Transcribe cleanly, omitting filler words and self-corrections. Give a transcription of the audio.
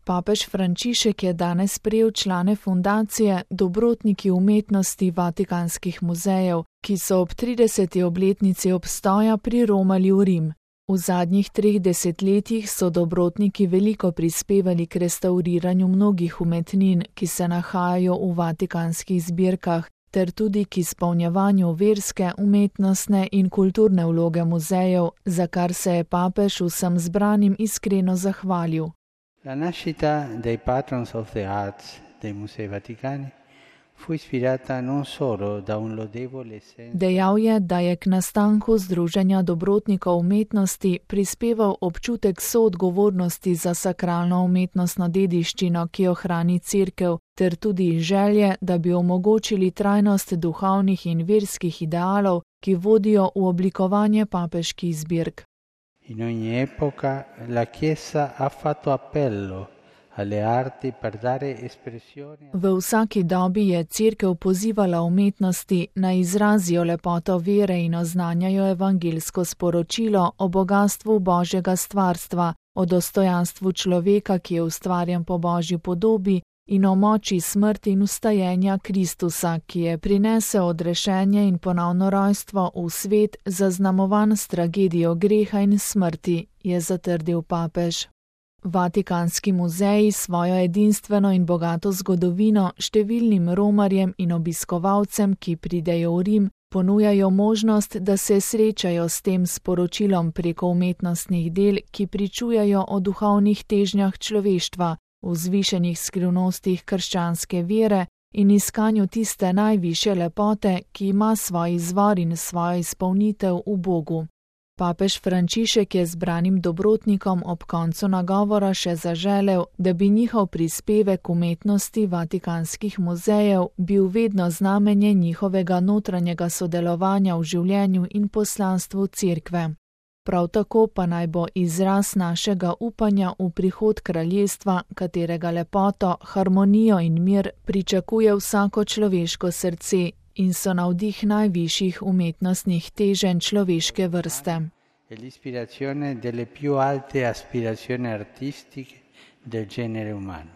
Papež Frančišek je danes sprejel člane fundacije Dobrotniki umetnosti Vatikanskih muzejev, ki so ob 30. obletnici obstoja priromali v Rim. V zadnjih 3 desetletjih so dobrotniki veliko prispevali k restavriranju mnogih umetnin, ki se nahajajo v vatikanskih zbirkah, ter tudi k izpolnjevanju verske, umetnostne in kulturne vloge muzejev, za kar se je papež vsem zbranim iskreno zahvalil. La nascita dei Patrons of the Arts dei Musei Vaticani fu ispirata non solo da un lodevole senso. Dejal je, da je k nastanku Združenja dobrotnikov umetnosti prispeval občutek soodgovornosti za sakralno umetnostno dediščino, ki jo hrani Cerkev, ter tudi želje, da bi omogočili trajnost duhovnih in verskih idealov, ki vodijo v oblikovanje papeških zbirk. In ogni epoca la Chiesa ha fatto appello alle arti per dare espressione. V vsaki dobi je Cerkev pozivala umetnosti, naj izrazijo lepoto vere in oznanjajo evangeljsko sporočilo o bogastvu Božjega stvarstva, o dostojanstvu človeka, ki je ustvarjen po Božji podobi, in o moči smrti in vstajenja Kristusa, ki je prinesel odrešenje in ponovno rojstvo v svet, zaznamovan s tragedijo greha in smrti, je zatrdil papež. Vatikanski muzeji svojo edinstveno in bogato zgodovino številnim romarjem in obiskovalcem, ki pridejo v Rim, ponujajo možnost, da se srečajo s tem sporočilom preko umetnostnih del, ki pričujejo o duhovnih težnjah človeštva, v vzvišenih skrivnostih krščanske vere in iskanju tiste najvišje lepote, ki ima svoj izvor in svojo izpolnitev v Bogu. Papež Frančišek je zbranim dobrotnikom ob koncu nagovora še zaželel, da bi njihov prispevek umetnosti vatikanskih muzejev bil vedno znamenje njihovega notranjega sodelovanja v življenju in poslanstvu Cerkve. Prav tako pa naj bo izraz našega upanja v prihod kraljestva, katerega lepoto, harmonijo in mir pričakuje vsako človeško srce in so navdih najvišjih umetnostnih teženj človeške vrste. L'ispirazione delle più alte aspirazioni artistiche del genere umano.